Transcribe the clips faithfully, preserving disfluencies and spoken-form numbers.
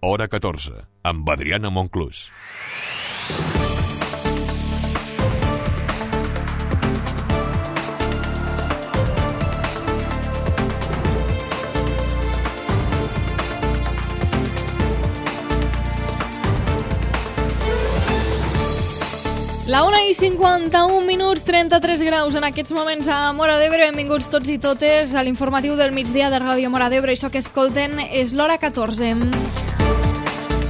Hora catorze, amb Adriana Monclús. La una i cinquanta-un minuts, trenta-tres graus en aquests moments a Móra d'Ebre. Benvinguts tots i totes a l'informatiu del migdia de Ràdio Móra d'Ebre. Això que escolten és l'Hora catorze.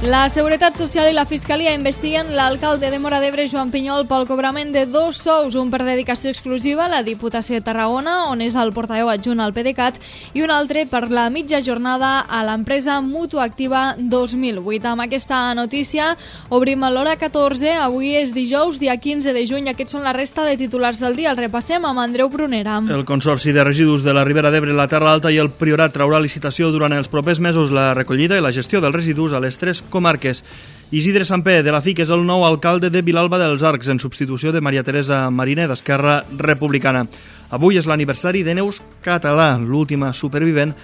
La Seguretat Social i la Fiscalia investiguen l'alcalde de Móra d'Ebre, Joan Pinyol, pel cobrament de dos sous, un per dedicació exclusiva a la Diputació de Tarragona, on és el portaveu adjunt al PDeCAT, i un altre per la mitja jornada a l'empresa Mutuactiva dos mil vuit. Amb aquesta notícia obrim l'Hora catorze. Avui és dijous, dia quinze de juny. Aquests són la resta de titulars del dia. El repassem amb Andreu Prunera. El Consorci de Residus de la Ribera d'Ebre, la Terra Alta i el Priorat traurà licitació durant els propers mesos la recollida i la gestió dels residus a les tres comarques. Isidre Sampé, de la F I C, és el nou alcalde de Vilalba dels Arcs, en substitució de Maria Teresa Mariner, d'Esquerra Republicana. Avui és l'aniversari de Neus Català, l'última supervivent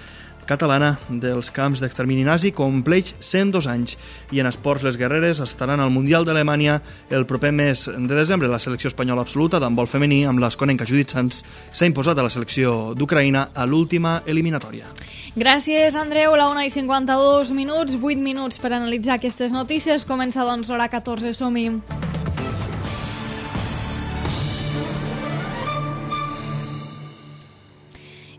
catalana dels camps d'extermini nazi, compleix cent dos anys. I en esports, les guerreres estaran al Mundial d'Alemanya el proper mes de desembre. La selecció espanyola absoluta d'handbol femení, amb l'esconenca Judit Sanz, s'ha imposat a la selecció d'Ucraïna a l'última eliminatòria. Gràcies, Andreu. La una i cinquanta-dos minuts, vuit minuts per analitzar aquestes notícies. Comença, doncs, l'Hora catorze. Som-hi.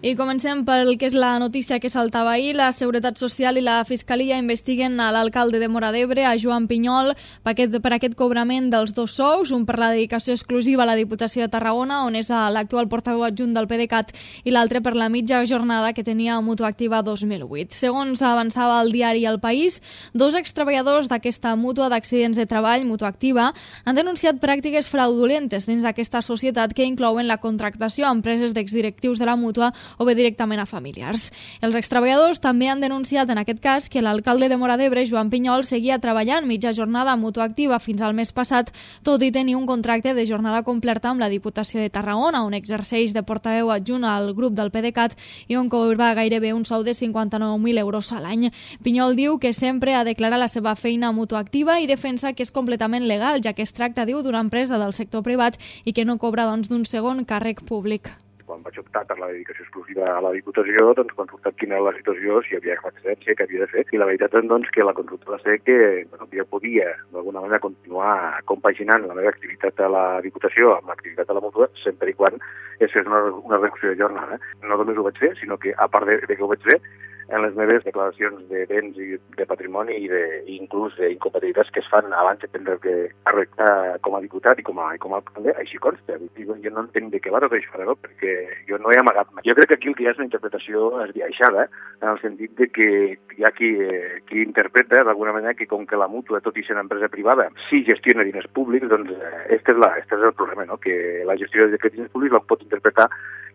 I comencem pel que és la notícia que saltava ahir. La Seguretat Social i la Fiscalia investiguen a l'alcalde de Móra d'Ebre, a Joan Pinyol, per aquest, per aquest cobrament dels dos sous, un per la dedicació exclusiva a la Diputació de Tarragona, on és l'actual portaveu adjunt del PDeCAT, i l'altre per la mitja jornada que tenia a Mutuactiva dos mil vuit. Segons avançava el diari El País, dos extreballadors d'aquesta mútua d'accidents de treball, Mutuactiva, han denunciat pràctiques fraudulentes dins d'aquesta societat que inclouen la contractació a empreses d'exdirectius de la mútua o bé directament a familiars. Els extreballadors també han denunciat en aquest cas que l'alcalde de Móra d'Ebre, Joan Pinyol, seguia treballant mitja jornada a Mutuactiva fins al mes passat, tot i tenir un contracte de jornada completa amb la Diputació de Tarragona, on exerceix de portaveu adjunt al grup del PDeCAT i on cobra gairebé un sou de cinquanta-nou mil euros a l'any. Pinyol diu que sempre ha declarat la seva feina a Mutuactiva i defensa que és completament legal, ja que es tracta, diu, d'una empresa del sector privat i que no cobra, doncs, d'un segon càrrec públic. Quan vaig optar per la dedicació exclusiva a la Diputació, doncs consultat quina era la situació, si hi havia excedència, què havia de fer. I la veritat és, doncs, que la consulta va ser que bueno, jo podia, d'alguna manera, continuar compaginant la meva activitat a la Diputació amb l'activitat a la Mútua, sempre i quan es fes una, una reducció de jornada. No només ho vaig fer, sinó que, a part de, de que ho vaig fer, en les meves declaracions de béns i de patrimoni i, de, i inclús d'incompatibilitats que es fan abans de prendre càrrec com a diputat i com a, com a alcalde, així consta. Jo no entenc de què va tot això, no? Perquè jo no he amagat mai. Jo crec que aquí el que hi ha és una interpretació esbiaixada, en el sentit de que hi ha qui, qui interpreta d'alguna manera que com que la mútua, tot i ser una empresa privada, sí gestiona diners públics, doncs este és, la, este és el problema, no? Que la gestió d'aquests diners públics la pot interpretar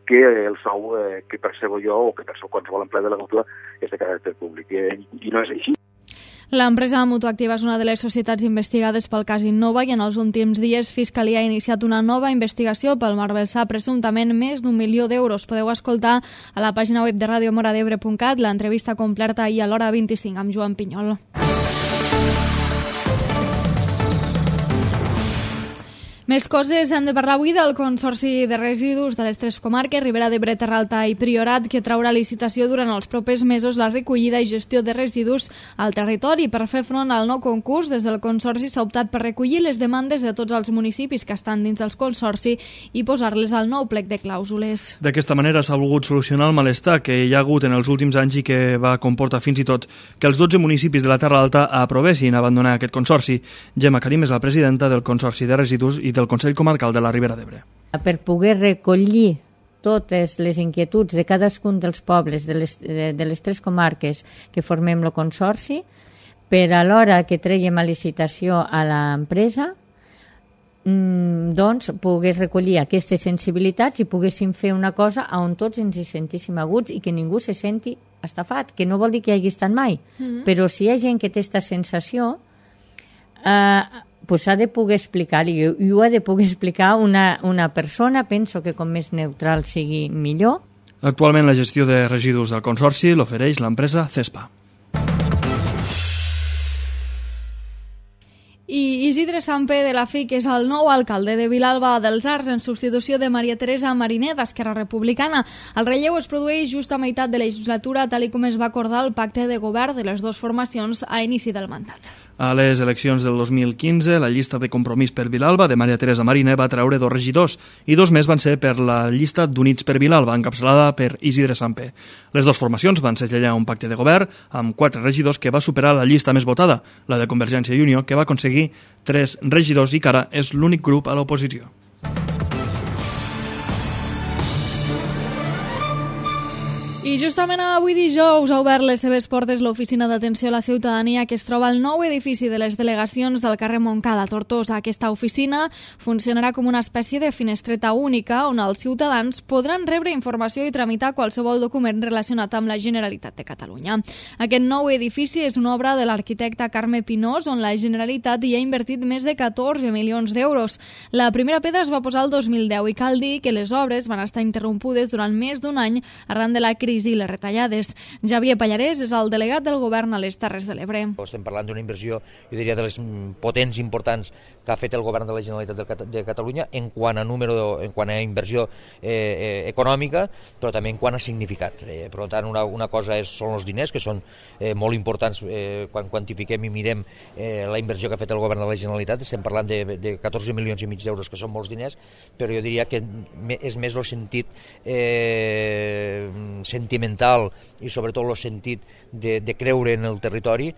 que el sou eh, que percebo jo o que percebo qualsevol empleat de la mútua és de caràcter públic. I, i no és així. L'empresa Mutuactiva és una de les societats investigades pel cas Innova i en els últims dies Fiscalia ha iniciat una nova investigació pel malversar presumptament més d'un milió d'euros. Podeu escoltar a la pàgina web de radio mora d'ebre punt cat l'entrevista completa ahir a l'hora vint-i-cinc amb Joan Pinyol. Més coses, hem de parlar avui del Consorci de Residus de les tres comarques, Ribera d'Ebre, Terra Alta i Priorat, que traurà licitació durant els propers mesos la recollida i gestió de residus al territori. Per fer front al nou concurs, des del Consorci s'ha optat per recollir les demandes de tots els municipis que estan dins del Consorci i posar-les al nou plec de clàusules. D'aquesta manera s'ha volgut solucionar el malestar que hi ha hagut en els últims anys i que va comportar fins i tot que els dotze municipis de la Terra Alta aprovessin abandonar aquest Consorci. Gemma Karim és la presidenta del Consorci de Residus i del Consell Comarcal de la Ribera d'Ebre. Per poder recollir totes les inquietuds de cadascun dels pobles de les, de, de les tres comarques que formem el Consorci, per a l'hora que treiem a licitació a l'empresa, mmm, doncs pogués recollir aquestes sensibilitats i poguéssim fer una cosa on tots ens hi sentíssim aguts i que ningú se senti estafat, que no vol dir que hi hagi estat mai, mm-hmm. però si hi ha gent que té aquesta sensació, eh, pues s'ha de poder explicar, i ho ha de poder explicar una, una persona, penso que com més neutral sigui millor. Actualment la gestió de residus del Consorci l'ofereix l'empresa Cespa. Isidre Samper de la F I C és el nou alcalde de Vilalba dels Arcs en substitució de Maria Teresa Mariner d'Esquerra Republicana. El relleu es produeix just a meitat de legislatura, tal com es va acordar el pacte de govern de les dues formacions a inici del mandat. A les eleccions del dos mil quinze, la llista de Compromís per Vilalba de Maria Teresa Mariner va treure dos regidors i dos més van ser per la llista d'Units per Vilalba, encapçalada per Isidre Samper. Les dues formacions van segellar un pacte de govern amb quatre regidors que va superar la llista més votada, la de Convergència i Unió, que va aconseguir tres regidors i que ara és l'únic grup a l'oposició. I justament avui dijous ha obert les seves portes l'Oficina d'Atenció a la Ciutadania que es troba al nou edifici de les delegacions del carrer Montcada a Tortosa. Aquesta oficina funcionarà com una espècie de finestreta única on els ciutadans podran rebre informació i tramitar qualsevol document relacionat amb la Generalitat de Catalunya. Aquest nou edifici és una obra de l'arquitecte Carme Pinós on la Generalitat hi ha invertit més de catorze milions d'euros. La primera pedra es va posar el dos mil deu i cal dir que les obres van estar interrompudes durant més d'un any arran de la crisi i les retallades. Javier Pallarès és el delegat del govern a les Terres de l'Ebre. Estem parlant d'una inversió, jo diria, de les potents importants que ha fet el govern de la Generalitat de Catalunya en quant a número, en quant a inversió eh, eh, econòmica, però també en quant a significat. Eh, per tant, una, una cosa és, són els diners, que són eh, molt importants eh, quan quantifiquem i mirem eh, la inversió que ha fet el govern de la Generalitat. Estem parlant de, de catorze milions i mig d'euros, que són molts diners, però jo diria que és més el sentit eh, sentimental i sobretot el sentit de, de creure en el territori.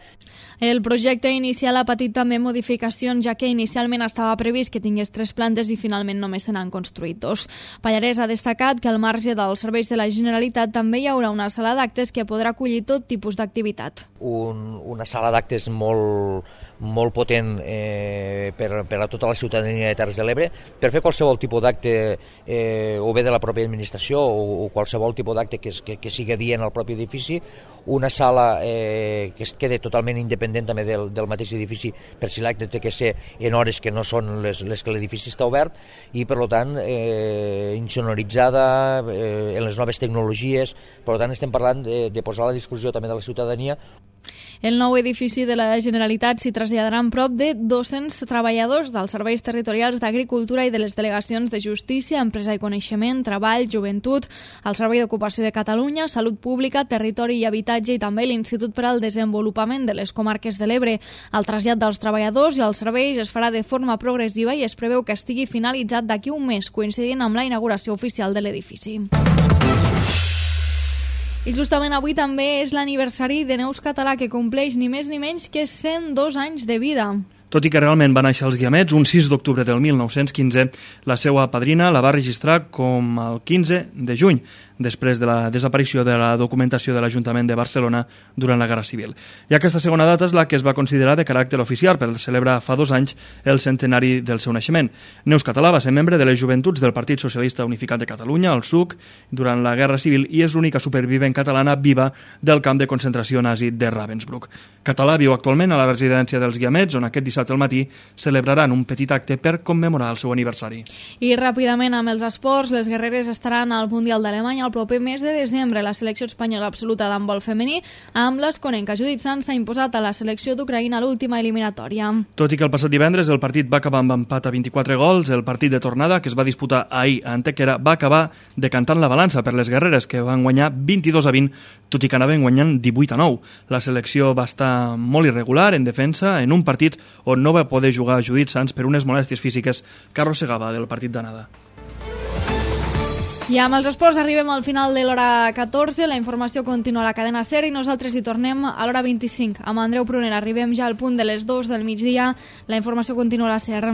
El projecte inicial ha patit també modificacions, ja que inicialment estava previst que tingués tres plantes i finalment només se n'han construït dos. Pallarès ha destacat que al marge dels serveis de la Generalitat també hi haurà una sala d'actes que podrà acollir tot tipus d'activitat. Un, una sala d'actes molt, molt potent eh, per, per a tota la ciutadania de Terres de l'Ebre, per fer qualsevol tipus d'acte eh, o bé de la pròpia administració o, o qualsevol tipus d'acte que, que, que sigui adient al propi edifici, una sala eh, que es quede totalment independent també del, del mateix edifici per si l'acte té que ser en hores que no són les, les que l'edifici està obert i per tant eh, insonoritzada eh, en les noves tecnologies. Per tant estem parlant de, de posar a la discussió també de la ciutadania. El nou edifici de la Generalitat s'hi traslladaran prop de dos-cents treballadors dels serveis territorials d'Agricultura i de les delegacions de Justícia, Empresa i Coneixement, Treball, Joventut, el Servei d'Ocupació de Catalunya, Salut Pública, Territori i Habitatge i també l'Institut per al Desenvolupament de les Comarques de l'Ebre. El trasllat dels treballadors i els serveis es farà de forma progressiva i es preveu que estigui finalitzat d'aquí un mes, coincidint amb la inauguració oficial de l'edifici. I justament avui també és l'aniversari de Neus Català, que compleix ni més ni menys que cent dos anys de vida. Tot i que realment va néixer als Guiamets, un sis d'octubre del mil nou-cents quinze, la seva padrina la va registrar com el quinze de juny, després de la desaparició de la documentació de l'Ajuntament de Barcelona durant la Guerra Civil. I aquesta segona data és la que es va considerar de caràcter oficial per celebrar fa dos anys el centenari del seu naixement. Neus Català va ser membre de les joventuts del Partit Socialista Unificat de Catalunya, el S U C, durant la Guerra Civil i és l'única supervivent catalana viva del camp de concentració nazi de Ravensbrück. Català viu actualment a la residència dels Guiamets, on aquest dissabte al matí celebraran un petit acte per commemorar el seu aniversari. I ràpidament amb els esports, les guerreres estaran al Mundial d'Alemanya el proper mes de desembre. La selecció espanyola absoluta d'handbol femení amb l'esconenca Judit Sanz s'ha imposat a la selecció d'Ucraïna a l'última eliminatòria. Tot i que el passat divendres el partit va acabar amb empat a vint-i-quatre gols, el partit de tornada, que es va disputar ahir a Antequera, va acabar decantant la balança per les guerreres, que van guanyar vint-i-dos a vint, tot i que anaven guanyant divuit a nou. La selecció va estar molt irregular en defensa en un partit on no va poder jugar Judit Sanz per unes molèsties físiques que arrossegava del partit d'anada. I amb els esports arribem al final de l'hora catorze, la informació continua a la cadena SER i nosaltres hi tornem a l'hora vint-i-cinc. Amb Andreu Prunera arribem ja al punt de les dues del migdia, la informació continua a la SER.